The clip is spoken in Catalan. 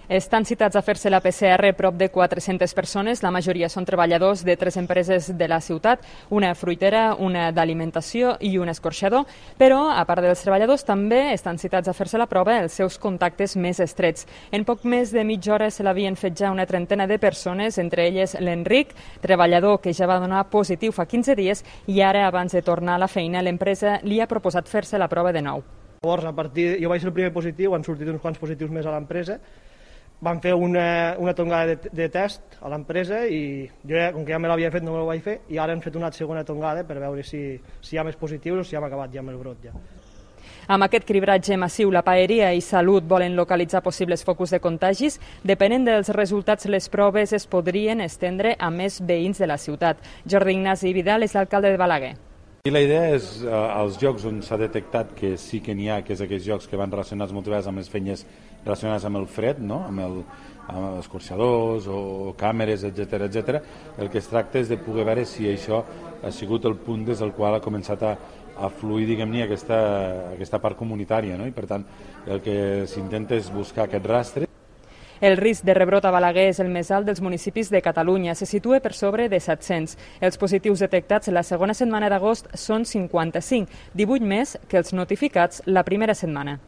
Estan citats a fer-se la PCR prop de 400 persones, la majoria són treballadors de 3 empreses de la ciutat, una fruitera, una d'alimentació i un escorxador, però, a part dels treballadors, també estan citats a fer-se la prova els seus contactes més estrets. En poc més de mitja hora se l'havien fet ja una trentena de persones, entre elles l'Enric, treballador que ja va donar positiu fa 15 dies i ara, abans de tornar a la feina, l'empresa li ha proposat fer-se la prova de nou. Llavors, jo vaig ser el primer positiu, han sortit uns quants positius més a l'empresa. Van fer una tongada de test a l'empresa i jo, com que ja me l'havia fet, no me l'ho vaig fer, i ara han fet una segona tongada per veure si hi ha més positius o si hem acabat ja amb el brot. Ja. Amb aquest cribratge massiu, la Paeria i Salut volen localitzar possibles focus de contagis. Depenent dels resultats, les proves es podrien estendre a més veïns de la ciutat. Jordi Ignasi Vidal és l'alcalde de Balaguer. I la idea és, als llocs on s'ha detectat que sí que n'hi ha, que és aquells llocs que van relacionats moltes vegades amb les feines relacionades amb el fred, no? amb els escorxadors o càmeres, etc. El que es tracta és de poder veure si això ha sigut el punt des del qual ha començat a fluir, diguem-ne, aquesta part comunitària, no? I per tant el que s'intenta és buscar aquest rastre. El risc de rebrot a Balaguer és el més alt dels municipis de Catalunya. Se situa per sobre de 700. Els positius detectats la segona setmana d'agost són 55, 18 més que els notificats la primera setmana.